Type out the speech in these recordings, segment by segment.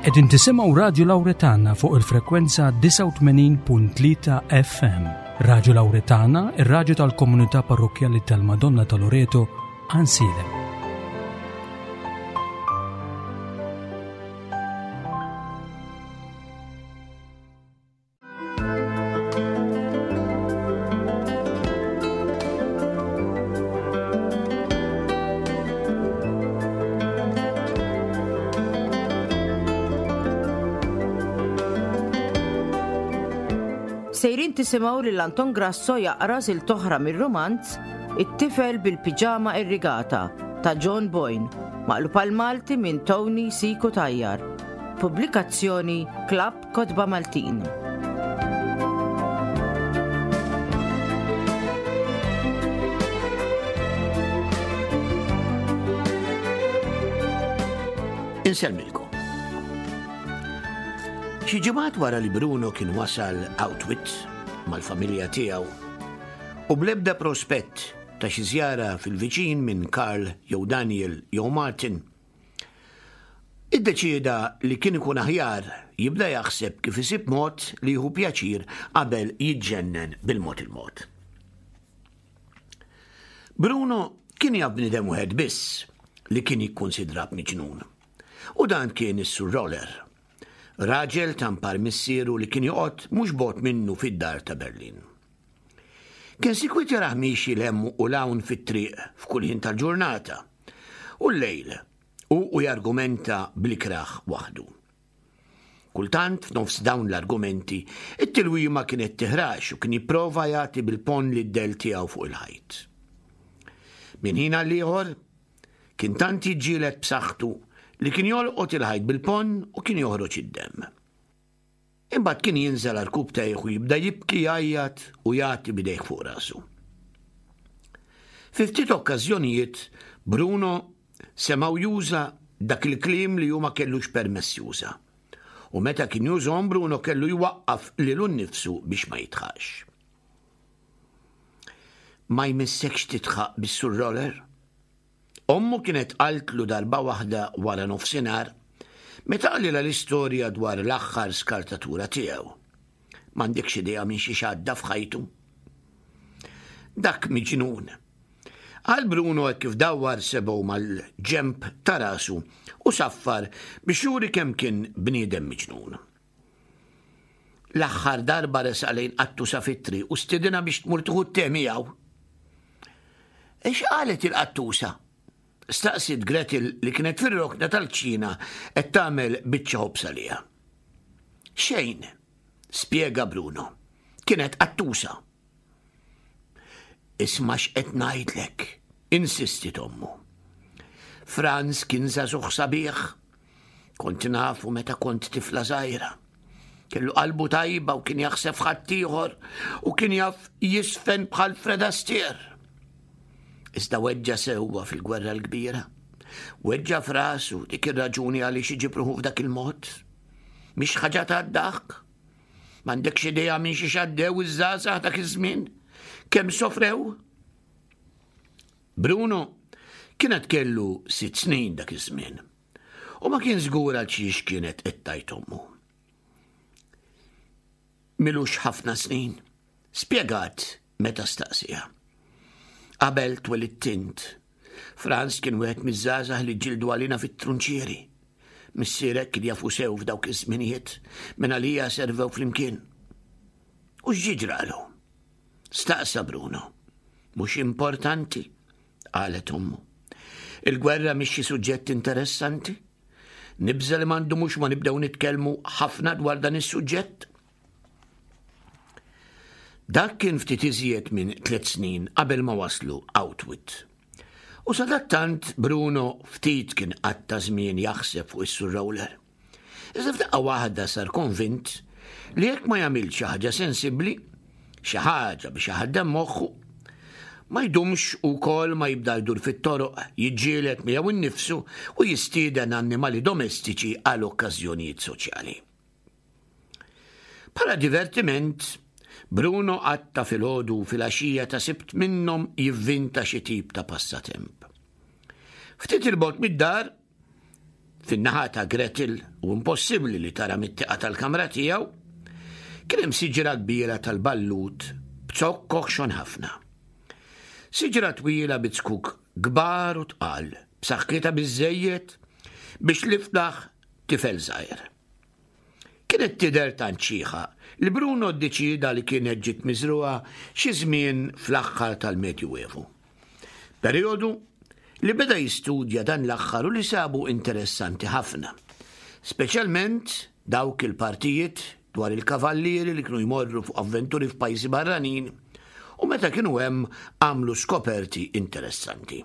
Qegħdin tisimgħu Radju Lawretana fuq il-frekwenza 89.3 FM. Radju Lawretana, ir-radju tal-komunità parrokkjali tal-Madonna ta' Loreto, Ansilem. Sejrin tisimgħu lil Anton Grasso jaqra silta oħra mir-rumanz It-tifel bil-piġama irrigata ta' John Boyne, maqlub għal Malti minn Tony Siku Tajjar. Pubblikazzjoni Klabb Kotba Maltin. Insellmilkom. Xi ġimgħat wara li Bruno kien wasal Outwit mal-familja tiegħu u bl-ebda prospett ta' xi żjara fil-viċin minn Karl jew Daniel jew Martin, Iddeċieda li kien ikun aħjar jibda jaħseb kif isib mod li jieħu pjaċir qabel jiġġennen bil-mod il-mod. Bruno kien jaf bniedem wieħed biss li kien jikkunsidra b'miġnun. U dan kien is-Sur Roller, raġel ta' mpar missieru li kien joqgħod mhux bogħod minnu fid-dar ta' Berlin. Kien sikwit jarah miexi 'l hemm u 'l hawn fit-triq f'kull ħin tal-ġurnata u l-lejl, hu u jargumenta bl-ikrah waħdu. Kultant, f'nofs dawn l-argumenti, it-tilwima kienet tiħrax u kien jipprova jagħti bil-ponn lid-dell tiegħu fuq il-ħajt. Minn ħin għal ieħor, kien tant jiġġieled b'saħħtu li kien jolqot il-ħajt bil-ponn u kien joħroġ id-demm. Imbagħad kien jinżel għarkupptejh u jibda jibki jgħajjat u jagħti b'idejh fuq rasu. Fi ftit okkażjonijiet Bruno semgħu juża dak il-kliem li hu ma kellux permess juża. U meta kien jużhom Bruno kellu jwaqqaf lilu nnifsu biex ma jidħaqx. Ma jmissekx tidħaq bis-Sur Roller? Ommu kienet qaltlu darba waħda wara nofsinhar meta qalilha l-istorja dwar l-aħħar skartatura tiegħu. M'għandekx idea minn xiex għadda f'ħajtu. Dak miġnun. Qal Bruno hekk kif dawwar sebgħu mal-ġenb ta' rasu u saffar biex juri kemm kien bniedem miġnun. L-aħħar darba resaq lejn qattusa fit-triq u stidinha biex tmur tieħu t-te miegħu. Ix qalet il-qattusa? Staqsiet Gretel li kienet fir-rokna tal-kċina qed tagħmel biċċa ħobż għaliha. Xejn, spjega Bruno. Kienet qattusa. Isma' x'qed ngħidlek, insistiet ommu. Franz kien żagħżugħ sabiħ. Kont nafu meta kont tifla żgħira. Kellu qalbu tajba u kien jaħseb f'ħaddieħor u kien jaf jisfen bħal Fred Astaire. Iżda weġġa' sewwa fil-gwerra l-kbira. Weġġa' f'rasu dik ir-raġuni għaliex iġib ruħu f'dak il-mod. Mhix ħaġa tad-daħk. M'għandekx idea minn xiex għaddew iż-żgħażagħ dak iż-żmien? Kemm sofrew? Bruno kienet kellu sitt snin dak iż-żmien u ma kien żgur għal xiex kienet qed tgħid ommu. Milux ħafna snin, spjegat meta staqsiha. Qabel twelidt int, Franz kien wieħed miż-żgħażagħ li ġġieldu għalina fit-trunċieri. Missierek kien jafu sew f'dawk iż-żminijiet, minn għalija servew flimkien. U x'ġie ġralu? Staqsa Bruno. Mhux importanti, qalet ommu. Il-gwerra mhix xi suġġett interessanti. Nibża' li ma ndumux ma nibdew nitkellmu ħafna dwar dan is-suġġett. Dak kien ftit iżjed minn tliet snin qabel ma waslu Outwit. U sadattant Bruno ftit kien qatta' żmien jaħseb fuq is-Sur Roller. Iżda f'daqqa waħda sar konvint li jekk ma jagħmilx xi ħaġa sensibbli, xi ħaġa biex iħaddem moħħu, ma jdumx ukoll ma jibda jdur fit-toroq, jiġġieled miegħu nnifsu u jistieden annimali domestiċi għal okkażjonijiet soċjali. Bħala divertiment, Bruno qatta' filgħodu u filgħaxija ta' Sibt minnhom jivvinta xi tip ta' passatemp. Ftit 'il bogħod mid-dar, Fin-naħa ta' Gretel u impossibbli li tara mit-tieqa tal-kamra tiegħu, kien hemm siġra kbira tal-ballut b'zokk oħxon ħafna. Siġra twila bi zkuk kbar u tqal, b'saħħitha biżżejjed biex liftaħ tifel żgħir. Kienet tidher tant xiħa li Bruno ddeċieda li kienet ġiet miżrugħa xi żmien fl-aħħar tal-Medjuevu. Perjodu li beda jistudja dan l-aħħar u li sabu interessanti ħafna. Speċjalment dawk il-partijiet dwar il-kavallieri li kienu jmorru fuq avventuri f'pajjiżi barranin u meta kienu hemm għamlu skoperti interessanti.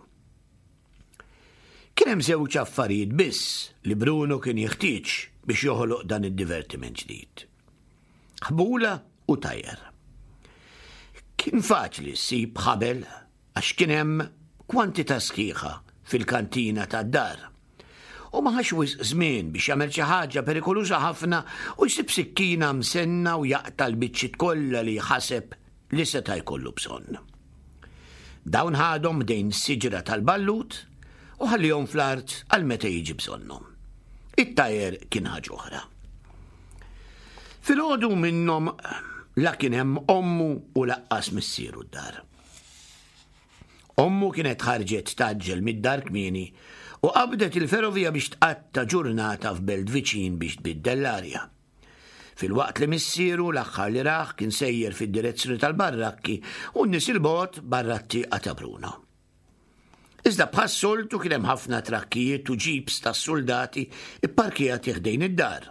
Kien hemm żewġ affarijiet biss li Bruno kien jeħtieġ biex joħloq dan id-divertiment ġdid. Ħbula u tajer. Kien faċli ssib ħabel għax kien hemm kwantità sħiħa fil-kantina tad-dar. U ma ħax wisq żmien biex jagħmel xi ħaġa perikoluża ħafna u jsib sikkina msenna u jaqta' l-biċċiet kollha li ħaseb li seta' jkollu bżonn. Dawn ħadhom ħdejn siġra tal-ballut u ħallihom fl-art għal meta jiġi bżonnhom. It-tajer kien ħaġa oħra. Filgħodu minnhom la kien hemm ommu u laqqas missieru d-dar. Ommu kienet ħarġet tgħaġġel mid-dar kmieni u qabdet il-ferrovija biex tqatta' ġurnata f'belt viċin biex tbiddel l-arja. Filwaqt li missieru l-aħħar li rah kien sejjer fid-direzzjoni tal-barrakki u n-nies 'il bogħod barra t-tieqa ta' Bruno. Iżda bħas-soltu kien hemm ħafna trakkijiet u ġips tas-suldati pparkjati ħdejn id-dar.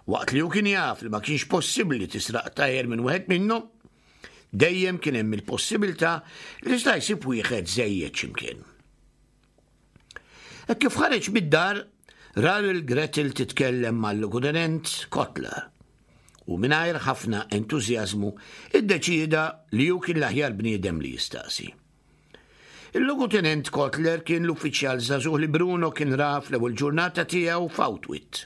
Waqt li hu kien jaf li ma kienx possibbli tisraq tajer minn wieħed minnhom, dejjem kien hemm il-possibilità li seta' jsib wieħed żejjed x'imkien. Hekk kif ħareġ mid-dar, ra lil Gretel titkellem mal-Lugutenent Kotler u mingħajr ħafna entużjażmu iddeċieda li hu kien l-aħjar bniedem li jistaqsi. Il-Lugutenent Kotler kien l-uffiċjal żagħżugħ li Bruno kien ra fl-ewwel ġurnata tiegħu f'Autwit.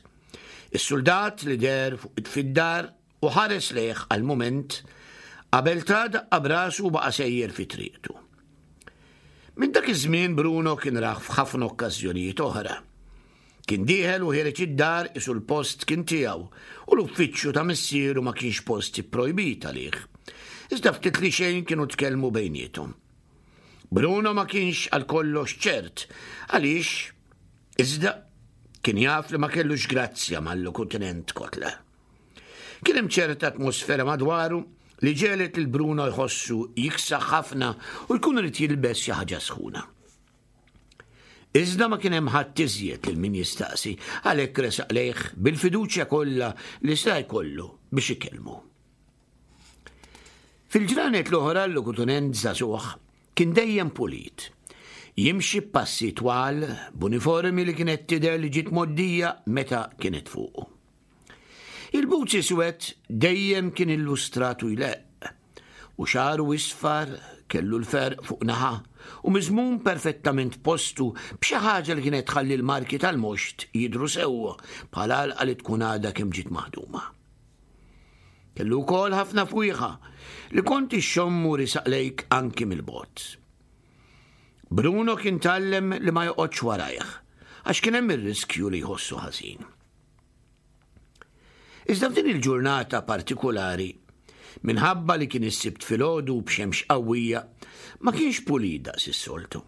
Is-suldat li deher fuq fid-dar u ħares lejh għal mument qabel ta daqqa b'rasu u baqa' sejjer fi triqtu. Minn dak iż-żmien Bruno kien rah f'ħafna okkażjonijiet oħra. Kien dieħel u ħiereġ id-dar isu l-post kien tiegħu u l-uffiċċju ta' missieru ma kienx post ipprojbit għalih. Iżda ftit li xejn kienu tkellmu bejniethom. Bruno ma kienx għal kollox ċert għaliex iżda kien jaf li ma kellux grazzja mal-lokutenent Kotler. Kien hemm ċerta atmosfera madwaru li ġegħlet lil Bruno jħossu jiksaħ ħafna u jkun irid jilbes xi ħaġa sħuna. Iżda ma kien hemm ħadd iżjed lil min jistaqsi, għalhekk resaq lejh bil-fiduċja kollha li seta' jkollu biex ikellmu. Fil-ġranet l-oħra l-lokutunent żagħżugħ kien dejjem pulit. Jimxi b'passi twal b'uniformi li kienet tidher li ġiet mgħoddija meta kienet fuqu. Il-boots iswed dejjem kien illustrat u jleqq, u xagħru isfar kellu l-ferq fuq naħa u miżmum perfettament postu b'xi ħaġa li kienet tħalli l-marki tal-moxt jidhru sewwa bħal għalqa li tkun għadha kemm ġiet maħduma. Kellu wkoll ħafna fwieħa li kont ixxommu risaq lejk anki mill-bogħod. Bruno kien tgħallem li ma joqgħodx warajh għax kien hemm ir-riskju li jħossu ħażin. Iżda f'din il-ġurnata partikulari, minħabba li kien is-Sibt filgħodu u b'xemx qawwija, ma kienx pulit daqs is-soltu.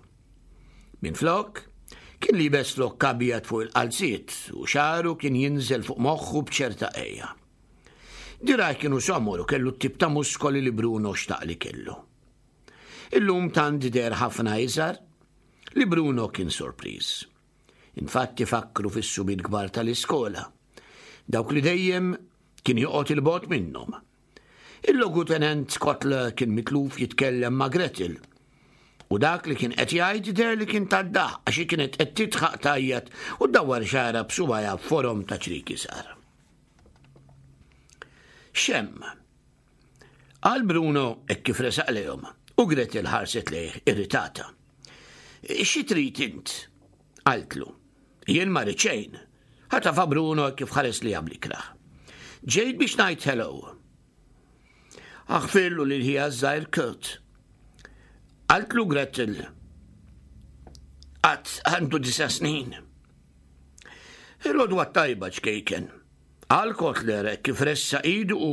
Minflok, kien liebes flokk abjad fuq il-qalziet u xagħru kien jinżel fuq moħħu b'ċerta għeja. Dirgħajh kienu somor u kellu t-tip ta' muskoli li Bruno xtaq li kellu. Illum tant deher ħafna iżgħar li Bruno kien sorpriż. Infatti fakkru fis-subien kbar tal-iskola, dawk li dejjem kien joqgħod 'il bogħod minnhom. Il-Logutenent Kotler kien mitluf jitkellem ma' Gretel, u dak li kien qed jgħid deher li kien tad-daħq għax hi kienet qed tidħaq tgħajjat u ddawwar xagħarha b'subgħajha f'forom ta' ċriki żgħar. X'hemm? Qal Bruno hekk kif resaq lejhom u Gretel ħarset lejh irritata. Xi trid int? Qaltlu. Jien ma rrid xejn. Ħatafa Bruno hekk kif ħares lejha bl-ikrah. Ġejt biex ngħid hello. Aħfirlu lil ħija żgħir Kurt. Qaltlu Gretel. Qatt għandu disa' snin. Il-għodwa t-tajba, ċkejken, qal Kotler hekk kif ressaq idu u,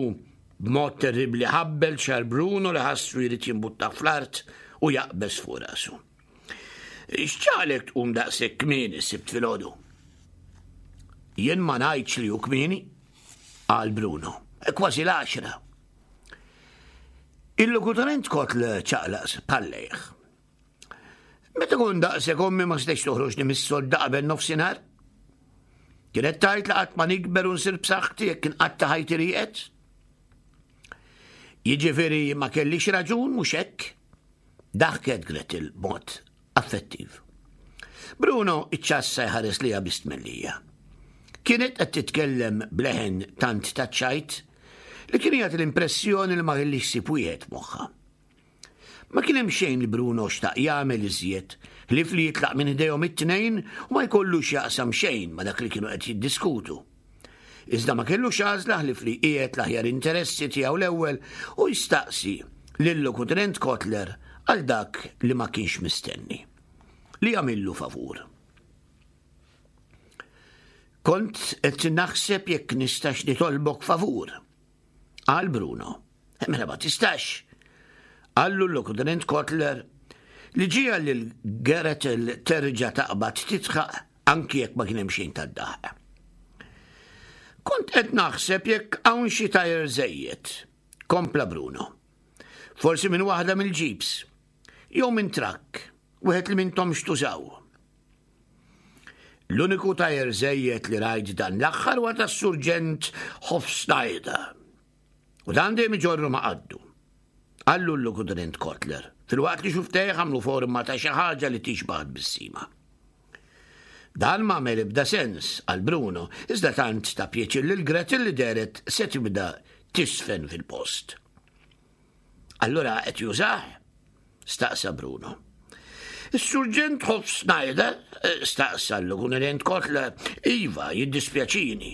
b'mod terribbli ħabbel xagħar Bruno li ħassu jrid jimbuttah fl-art u jaqbeż fuq rasu. X'ġagħlek tqum daqshekk kmieni s-Sibt filgħodu? Jien ma ngħidx li hu kmieni, qal Bruno. Kważi l-għaxra. Il-lokutorent Kotler ċaqlaq spallejh. Meta kont daqshekk ommi ma setgħetx toħroġni mis-sodda qabel nofsinhar. Kienet tgħid li qatt ma nikber u nsir b'saħħti jekk inqatta' ħajti rieqed. Jiġifieri ma kellix raġun mhux hekk? Daħket Gretel b'mod affettiv. Bruno iċċassa jħares liha bi stmellija. Kienet qed titkellem b'leħen tant taċ-ċajt li kien jagħti l-impressjoni li ma kellix ħsieb wieħed f'moħħha. Ma kien hemm xejn li Bruno xtaq jagħmel iżjed ħlief li jitlaq minn ħdejhom it-tnejn u ma jkollu x'jaqsam xejn ma' dak li kienu qed jiddiskutu. Iżda ma kellux għażla ħlief li jqiegħed l-aħjar interessi tiegħu l-ewwel u jistaqsi lil-Lokutenent Kotler għal dak li ma kienx mistenni, li jagħmillu favur. Kont qed naħseb jekk nistax nitolbok favur, qal Bruno. Mela ma tistax, qallu l-Lokutenent Kotler li ġiegħel lil Gretel terġa' taqbad tidħaq anki jekk ma kien hemm xejn tad-daħq. Kont qed naħseb jekk hawn xi tajer żejjed, kompla Bruno. Forsi minn waħda mill-ġibs, jew minn trakk, wieħed li m'intomx tużaw. L-uniku tajer żejjed li rajt dan l-aħħar huwa tas-Surġent Hofsneider. U dan dejjem iġorru ma' qaddu. Qallu l-Lokutenent Kotler, filwaqt li xufftejh għamlu forma ta' xi ħaġa li tixbah tbissima. Dan m'għamel ebda sens, qal Bruno, iżda tant ta pjaċir lil Gretel li dehret se tibda tiżfen fil-post. Allura qed jużah? staqsa Bruno. Is-Surġent Hofsneider? staqsa l-Lokutenent Kotler. Iva, jiddispjaċini.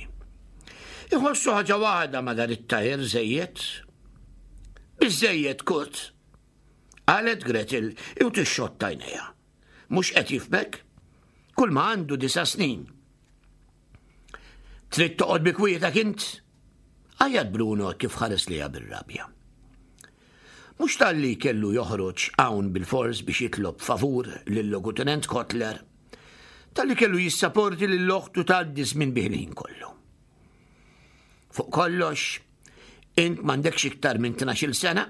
Iħossu ħaġa waħda ma' dan it-tajer żejjed. Biżżejjed, Kurt, qalet Gretel u tixxotta għajnejha. Mhux qed jifhmek? Kull ma għandu disa' snin. Trid toqgħod bi kwietek int? Għajjat Bruno kif ħares lejha bir-rabja. Mhux talli kellu joħroġ hawn bilfors biex jitlob favur lil-Logutenent Kotler, talli kellu jissaporti lil oħtu tgħaddi żmien bih il-ħin kollu. Fuq kollox, int m'għandekx iktar minn tnax-il sena?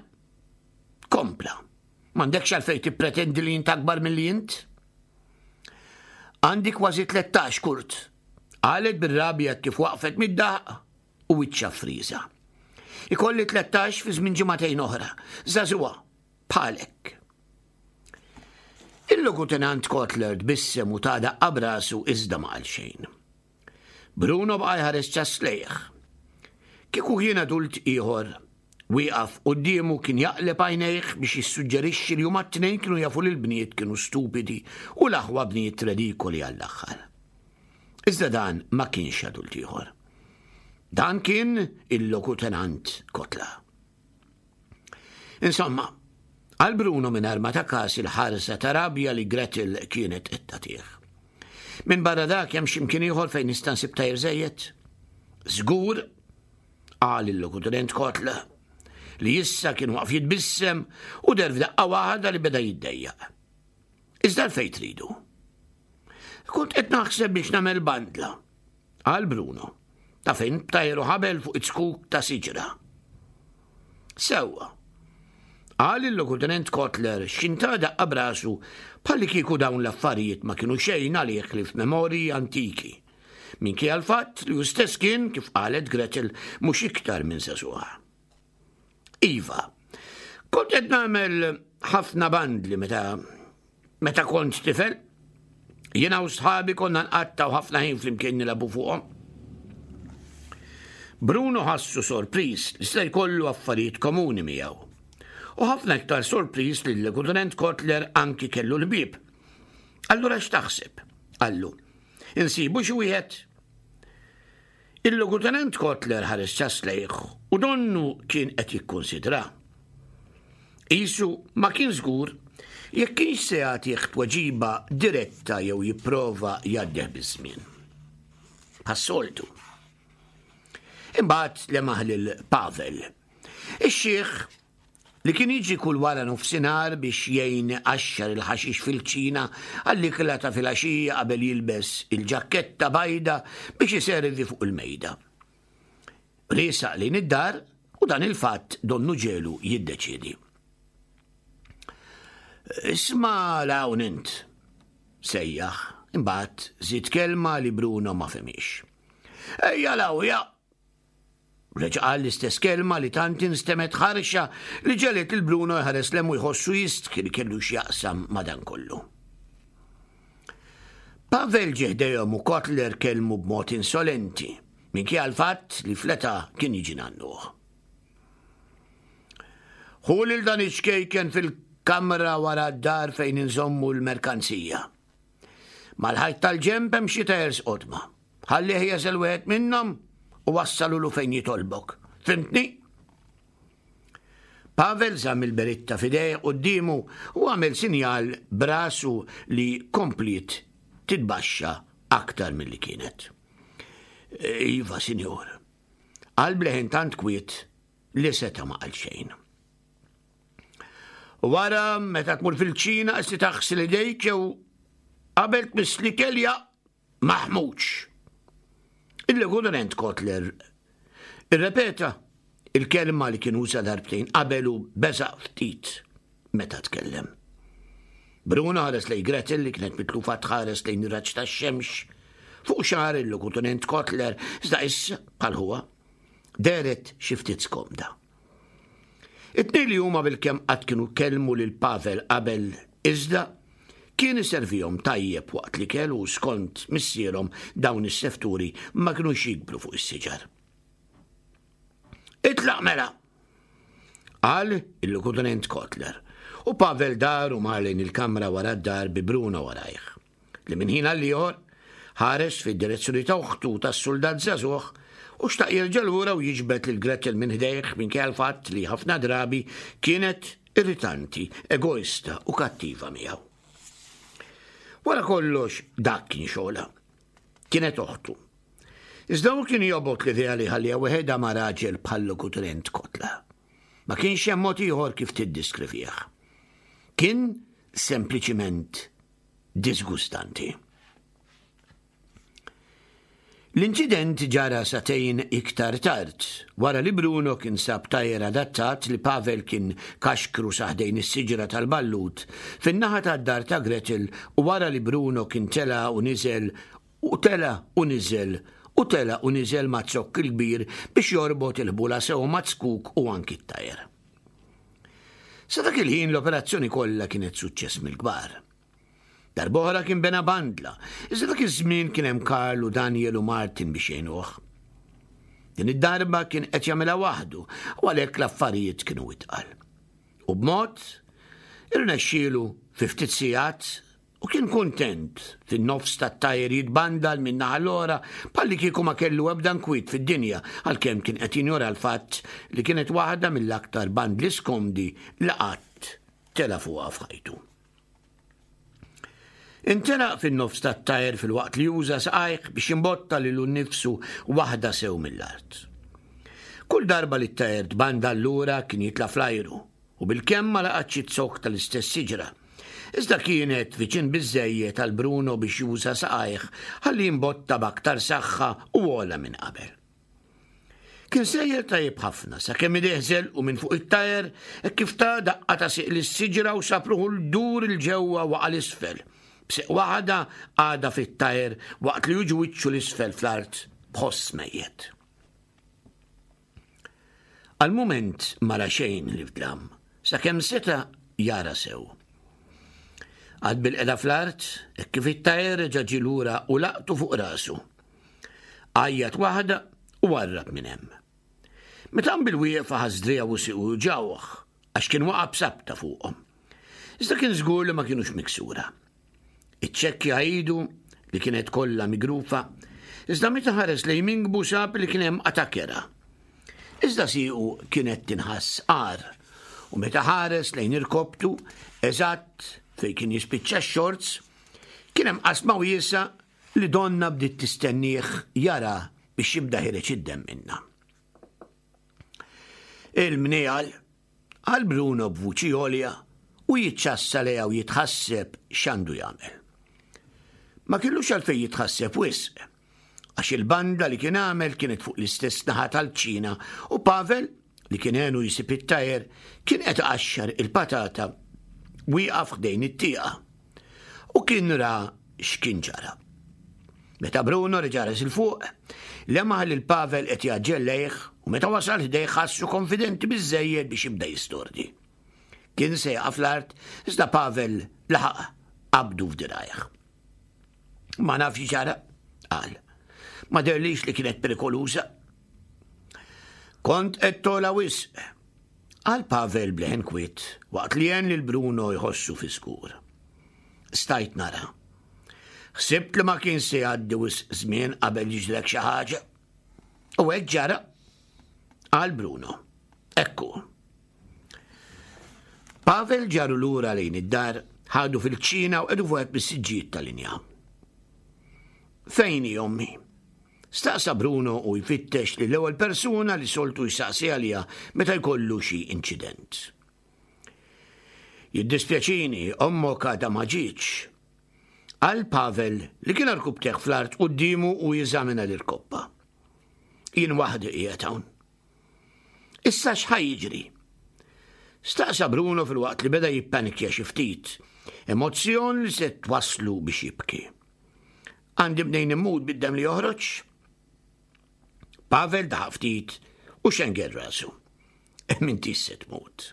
Kompla. M'għandekx għalfejn tippretendi li int akbar milli int? Għandi kważi 13, Kurt, qalet bir-rabja kif waqfet mid-daħq u wiċċha friża. Ikolli 13 fi żmien ġimagħtejn oħra, żagħżugħa, bħalek. Il-Logutenant Kotler tbissem u ta daqqa b'rasu iżda ma qal xejn. Bruno baqa' jħares ċass lejh. Kieku kien adult ieħor, wieqaf quddiemu kien jaqleb għajnejh biex jissuġġerixxi li huma t-tnejn kienu jafu li l-bniet kienu stupidi u l-aħwa bniet redikoli għall-aħħar. Iżda dan ma kienx adult ieħor. Dan kien il-Lokutenant Kotla. Insomma, għal Bruno mingħajr ma ta kas il-ħarsa ta' rabja li Gretel kienet qed tagħtih. Minn barra dak hemm xi mkien ieħor fejn nista' nsib tajr żejjed? Żgur, qal il-Lokutenent Kotla, li issa kien waqf jitbissem u der f'daqqa waħda li beda jiddejjaq. Iżda l-fejn tridu? Kont qed naħseb biex nagħmel bandla, qal Bruno, ta' fejn b'tajru ħabel fuq it-zkuk ta' siġra. Sewwa, qal il-Lokutenent Kotler x'inta daqqa b'rasu bħalli kieku dawn l-affarijiet ma kienu xejn għalih li f'memorji antiki. Minkejja l-fatt li hu stess kien, kif qalet Gretel, mhux iktar minn żagħżugħa. Iva, kont qed nagħmel ħafna bandli meta meta kont tifel. Jiena u sħabi konna nqattgħu ħafna ħin flimkien nilagħbu fuqhom. Bruno ħassu sorpriż li se jkollu affarijiet komuni miegħu. U ħafna iktar sorpriż li l-Lieutenant Kotler anki kellu l-bieb. Allura x'taħseb? Qallu. Insibu xi wieħed? Il-Logutenent Kotler ħares ċass lejh u donnu kien qed jikkunsidra. Qisu ma kien żgur jekk kienx se jagħtih tweġiba diretta jew jipprova jgħaddih biż-żmien. Bħas-soltu. Imbagħad lemaħ lil Pavel. Ix-xiħ li kien jiġi kull wara nofsinhar biex jgħin iqaxxar il-ħaxix fil-kċina għall-ikla ta' filgħaxija qabel jilbes il-ġakketta bajda biex iservi fuq il-mejda. Riesaq lejn id-dar u dan il-fatt donnu ġelu jiddeċiedi. Isma' l-hawn int, sejjaħ, imbagħad żied kelma li Bruno ma fehmiex. Ejja 'l ja! Reġa' qal l-istess kelma li tant instemgħet ħarxa li ġegħlet lil Bruno jħares 'l hemm u jħossu jistħi li kellu x'jaqsam ma' dan kollu. Pavel ġie ħdejhom u Kotler kellmu b'mod insolenti, minkejja l-fatt li fl-età kien jiġi nannuh. Ħu lil dan iċ-ċkejken fil-kamra wara d-dar fejn inżommu l-merkanzija. Mal-ħajt tal-ġenb hemm xi tajers qodma. Ħallih jeżel wieħed minnhom u wassalulu fejn jitolbok. Fimtni? Pavel żamm il-beritta f'idejh quddiemu u għamel sinjal b'rasu li kompliet titbaxxa aktar milli kienet. Iva, sinjur. Qal b'leħen tant kwiet li seta' ma qal xejn. Wara, meta tmur fil-kċina, qis li taħsel idejk jew qabel tmiss l-ikel ja maħmuġ. Il-Lieutenant Kotler irrepeta il-kelma li kien uża darbtejn qabel u beżaq ftit meta tkellem. Bruno ħares lejn Gretel li kienet mitlufa tħares lejn ir-raġġ tax-xemx fuq xagħar il-Lokutenent Kotler, iżda issa, bħal ħuha, dehret xi ftit skomda. It-tnejn li huma bilkemm qatt kienu kellmu lil Pavel qabel iżda kien iservihom tajjeb waqt l-ikel u skont missierhom dawn is-sefturi ma kinux jikbru fuq is-siġar. Itlaq mela! Qal il-Lokutenent Kotler u Pavel dar u mar lejn il-kamra wara d-dar bi Bruno warajh. li minn ħin għal ieħor ħares fid-direzzjoni ta' oħtu tas-suldat żagħżugħ u xtaq jerġa' lura u jiġbed lil Gretel minn ħdejh minkejja l-fatt li ħafna drabi kienet irritanti, egoista u kattiva miegħu. Wara kollox dak kien xogħolha. Kienet oħtu. Iżda hu kien jobgħod l-idea li jħalliha weħedha ma' raġel bħal Lokutenent Kotla. Ma kienx hemm mod ieħor kif tiddiskrivih. Kien sempliċiment diżgustanti. L-inċident ġara sagħtejn iktar tard, wara li Bruno kien sab tajer adattat li Pavel kien kaxkru sa ħdejn is-siġra tal-ballut fin-naħa tad-dar ta' Gretel u wara li Bruno kien tela' u niżel u tela' u niżel u tela' u niżel maz-zokk il-kbir biex jorbot il-ħbula sew maz-zkuk u anki t-tajer. Sa dak il-ħin l-operazzjoni kollha kienet suċċess mill-kbar. Darb'oħra kien bena bandla, iżda dak iż-żmien kien hemm Karl u Daniel u Martin biex jgħinuh. Din id-darba kien qed jagħmilha waħdu u għalhekk l-affarijiet kienu itqal. U b'mod irnexxielu fi ftit sigħat U kien kuntent, fin-nofs tat-tajer jitbandal minn naħa l-oħra bħallikieku ma kellu ebda nkwiet fid-dinja għalkemm kien qed jinjora l-fatt li kienet waħda mill-aktar bandli skomdi li qatt tela' fuqha f'ħajtu. Intelaq fin-nofs tat-tajer filwaqt li uża saqajh biex jimbotta lilu nnifsu waħda sew mill-art. Kull darba li t-tajer tbandal lura kien jitla' fl-ajru u bilkemm ma laqatx iz-zokk tal-istess siġra. Iżda kienet viċin biżżejjed għal Bruno biex juża saqajh ħalli jimbotta b'aktar saħħa u ogħla minn qabel. Kien sejjer tajjeb ħafna sakemm idejh żelqu minn fuq it-tajer hekk kif ta daqqa ta' sieq lis-siġra u sab ruħu l-dur 'il ġewwa waqa' 'l isfel, b'sieq waħda għadha fit-tajer waqt li jiġu wiċċu 'l isfel fl-art b'ħoss mejjet. Għal mument ma ra xejn ħlief dlam, sakemm seta' jara sew. Qagħad bilqiegħda fl-art, hekk kif it-tajer reġa' ġie lura u laqtu fuq rasu. Għajjat waħda u warrab minn hemm. Meta qam bil-wieqfa ħass driegħu u siequ juġgħuh għax kien waqa' b'sabta fuqhom. Iżda kien żgur li ma kinux miksura. Iċċekkja idu li kienet kollha migrufa, iżda meta ħares lejn minkbu sab li kien hemm qatgħa kerha. Iżda siequ kienet tinħass agħar u meta ħares lejn irkoptu, eżatt fejn kien jispiċċa x-xorts, kien hemm qasma wiesgħa li donnha bdiet tistennieh jara biex jibda ħireġ id-demm minnha. Il-mniegħal, qal Bruno b'vuċi għolja u jiċċassa lejha u jitħasseb x'għandu jagħmel. Ma kellux għalfejn jitħasseb wisq, għax il-banda li kien għamel kienet fuq l-istess naħa tal-kċina u Pavel, li kien għenu jsib it-tajer, kien qed iqaxxar il-patata wieqaf ħdejn it-tieqa u kien ra x'kien ġara. Meta Bruno reġa' res 'il fuq, lemaħ lil Pavel qed jgħaġġel lejh u meta wasal ħdejh ħassu konfidenti biżżejjed biex jibda jistordi. Kien se jaqa' fl-art iżda Pavel laħaq qabdu f'dirgħajh. Ma nafx ġara, qal. Ma derlix li kienet perikoluża. Kont qed tola wisq, qal Pavel bleħen kwiet waqt li għen lil Bruno jħossu fi skur. Stajt nara. Ħsibt li ma kien se jgħaddi wisq żmien qabel jiġrek xi ħaġa. U hekk ġara, qal Bruno. Ekku. Pavel ġaru lura lejn id-dar, ħadu fil-kċina u qedu fuq mis-siġġijiet tal-inja. Fejn hi ommi? Staqsa Bruno u jfittex li l-ewwel persuna li soltu jsaqsi għaliha meta jkollu xi inċident. Jiddispjaċini, ommok għadha ma ġietx. Qal Pavel li kien arkubteh fl-art quddiemu u jeżamina l-irkoppa. Jien waħdi qiegħed hawn. Issa x'ħa jiġri? Staqsa Bruno filwaqt li beda jippanikja xi ftit, emozzjon li se twasslu biex jibki. Għandi mnejn immut bid-demm li joħroġ? Pavel daħaq ftit u xenger rasu. M'intix se tmut.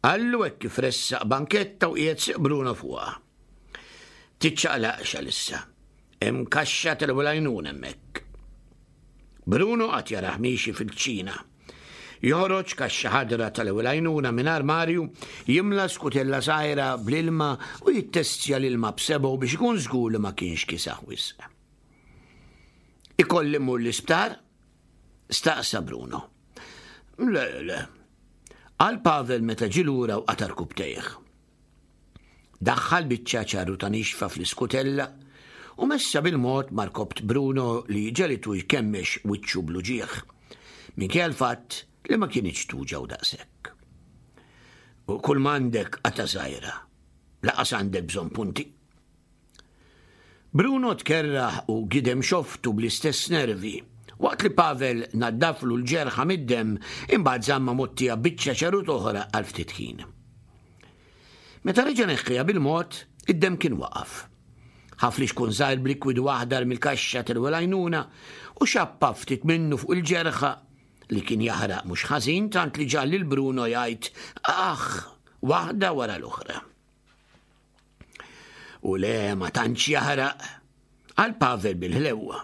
Qallu hekk kif ressaq banketta u qiegħed siq Bruno fuqha. Tiċċaqlaqx għalissa. Hemm kaxxa tal-ewwel għajnuna hemmhekk. Bruno qatt jarah miexi fil-kċina. Joħroġ kaxxa ħadra tal-ewwel għajnuna minn armarju, jimla skutella żgħira bl-ilma u jittestja l-ilma b'sebgħu biex ikun żgur li ma kienx kiesaħ wisq. Ikolli mmur l-isptar? Staqsa Bruno. Le, le. Qal Pavel meta ġie lura u qata' rkubtejh. Daħħal biċċa ċarruta nixfa fl-iskutella u messha bil-mod ma' rkobt Bruno li ġegħlitu jkemmex wiċċu bl-uġigħ, minkejja l-fatt li ma kinitx tuġgħu daqshekk. U kull m'għandek qatgħa żgħira, laqas għandek bżonn punti. Bruno tkerrah u gidem xoftu bl-istess nervi, waqt li Pavel naddaflu l-ġerħa mid-demm imbagħad żammha mgħottija biċċa ċarut oħra għal ftit ħin. Meta reġa' neħħiha bil-mod, id-demm kien waqaf. Ħa flixkun żgħir b'likwidu aħdar mill-kaxxa tal-ewwel għajnuna u xappa ftit minnu fuq il-ġerħa li kien jaħraq mhux ħażin tant li ġagħal lil Bruno jgħid aħ waħda wara l-oħra. U le ma tantx jaħraq, qal Pavel bil-ħlewwa.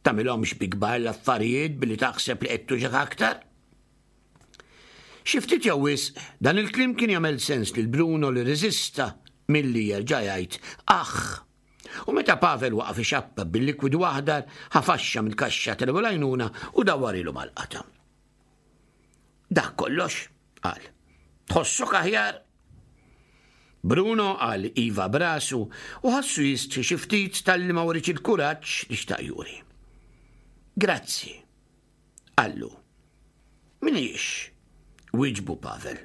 Tagħmilhomx bi kbar l-affarijiet billi taħseb li qed tuġgħek aktar. Xi ftit jew wisq, dan il-kliem kien jagħmel sens lil Bruno li rreżista milli jerġa' jgħid aħ. U meta Pavel waqaf ixappab bil-likwidu aħdar, ħa faxxa mill-kaxxa tal-ewwel għajnuna u dawwarilu mal-qatgħa. Dak kollox, qal. Tħossok aħjar? Bruno qal iva b'rasu u ħassu jistħi xi ftit talli ma wrietx il-kuraġġ li xtaq juri. Grazzi, qallu. Minix, wieġbu Pavel.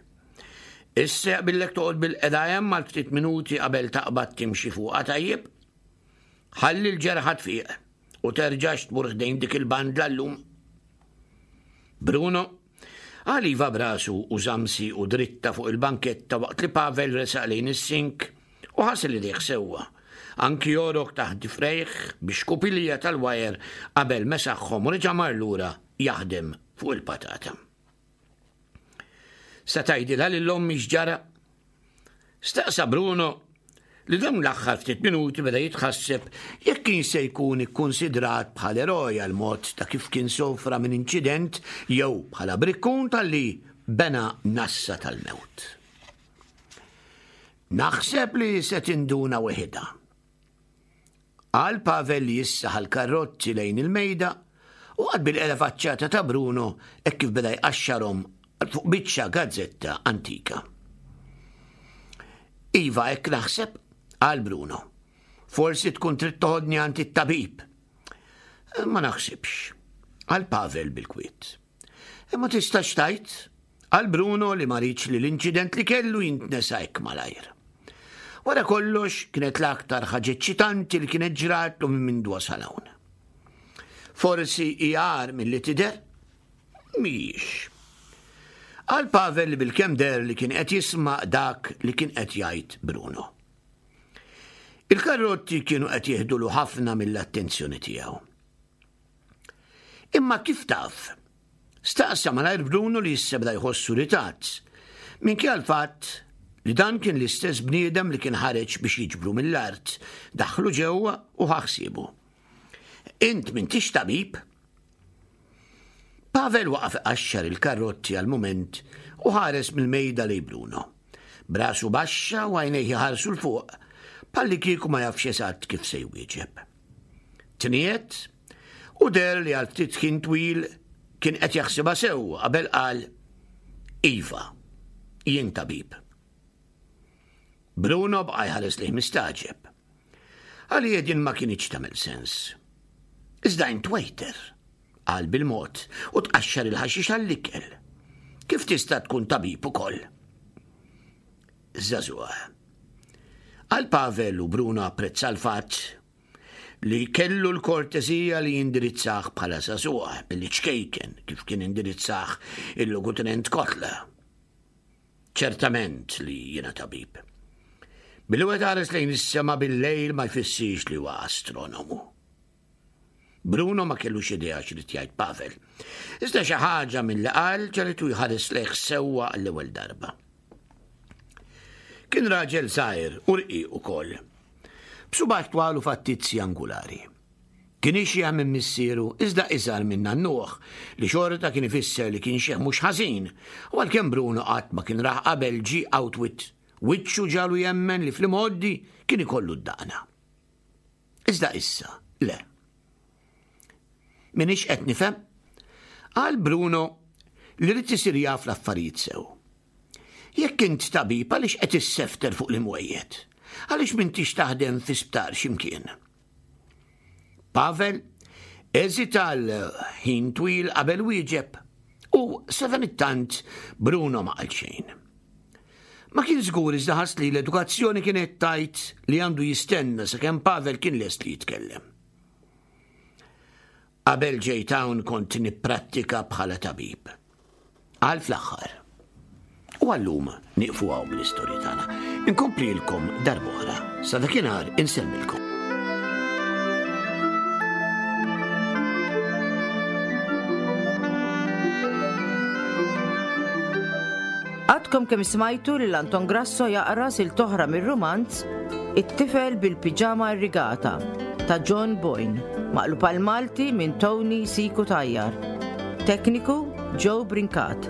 Issa jaqbillek toqgħod bil-qeda hemm għal ftit minuti qabel taqbad timxi fuqha tajjeb? Ħalli l-ġerħa tfiq u terġax tmur ħdejn dik il-bandla llum. Bruno Qal iva b'rasu u żamm siequ dritta fuq il-banketta waqt li Pavel resaq lejn is-sink u ħasel idejh sewwa, anki għorok taħt difrejh bi xkupilja tal-wajer qabel mesaħhom u reġa' mar lura jaħdem fuq il-patata. Se tgħidilha lil ommi x'ġara? Staqsa Bruno li dawn l-aħħar ftit minuti beda jitħasseb jekk kienx se jkun ikkunsidrat bħal eroj għall-mod ta' kif kien sofra minn inċident jew bħala brikkun talli bena nassa tal-mewt. Naħseb li se tinduna weħidha. Qal Pavel li issa ħa l-karrozzi lejn il-mejda u qagħad bil-qeda faċċata ta' Bruno hekk kif beda jqaxxarhom fuq biċċa gazzetta antika. Iva hekk naħseb, qal Bruno. Forsi tkun trid toħodni għand it-tabib. Ma naħsibx, qal Pavel bil-kwiet. Imma tistax tgħid, qal Bruno li ma riedx li l-inċident li kellu jintnesa hekk malajr. Wara kollox, kienet l-aktar ħaġa eċċitanti li kienet ġratlu minn mindu wasal hawn. Forsi hi agħar milli tidher? Mhijiex. Qal Pavel li bilkemm deher li kien qed jisma' dak li kien qed jgħid Bruno. Il-karrotti kienu qed jieħdulu ħafna mill-attenzjoni tiegħu. Imma kif taf? Staqsa malajr Bruno li issa beda jħossu ritat. Minkejja l-fatt li dan kien l-istess bniedem li kien ħareġ biex jiġbru mill-art, daħlu ġewwa u ħa ħsiebu. Int m'intix tabib? Pavel waqaf iqaxxar il-karrotti għal mument u ħares mill-mejda lejn Bruno. B'rasu baxxa u għajnejh iħarsu 'l fuq, bħallikieku ma jafx eżatt kif se jwieġeb. Tniegħed u deher li għal ftit ħin twil kien qed jaħsibha sew qabel qal, Iva, jien tabib. Bruno baqa' jħares lejh mistagħġeb. Għalih din ma kinitx tagħmel sens. Iżda int waiter, qal bil-mod u tqaxxar il-ħaxix għall-ikel. Kif tista' tkun tabib ukoll? Żagħżugħ. Qal Pavel u Bruno apprezza l-fatt li kellu l-kortesija li jindirizzah bħala żagħżugħ billi ċkejken kif kien indirizzah il-Logutenent Kotler. Ċertament li jiena tabib. Billi wieħed ħares lejn is-sema bil-lejl ma jfissirx li huwa astronomu. Bruno ma kellux idea x'rid jgħid Pavel. Iżda xi ħaġa milli qal ġagħlitu jħares lejh sewwa għall-ewwel darba. Kien raġel żgħir u rqiq ukoll. B'subgħajh twal u fattizzi angulari. Kien ixjeħ minn missieru iżda iżgħar minn nannuh, li xorta kien ifisser li kien xiħ mhux ħażin, u għalkemm Bruno qatt ma kien rah qabel ġie outwit, wiċċu ġagħlu jemmen li fl-imgħoddi kien ikollu d-daqna. Iżda issa, le. Minix qed nifhem, qal Bruno li ried isir jaf l-affarijiet sew. Jekk int tabib għaliex qed issefter fuq l-imwejjed? Għaliex m'intix taħdem fi sptar x'imkien? Pavel eżita għal ħin twil qabel wieġeb u sadanittant Bruno ma qal xejn. Ma kien żgur iżda ħass li l-edukazzjoni kienet tgħid li għandu jistenna sakemm Pavel kien lest li jitkellem. Qabel ġejt hawn kont nipprattika bħala tabib. Qal fl-aħħar. U għallum nieqfu hawn bl-istorja tagħna. Inkomplilkom darb'oħra. Sa dakinhar insellmilkom. Għadkom kemm smajtu lil Anton Grasso jaqra silt oħra mir-rumanz It-tifel bil-piġama irrigata ta' John Boyne, maqlub għall-Malti minn Tony Siku Tajjar. Tekniku Joe Brincat.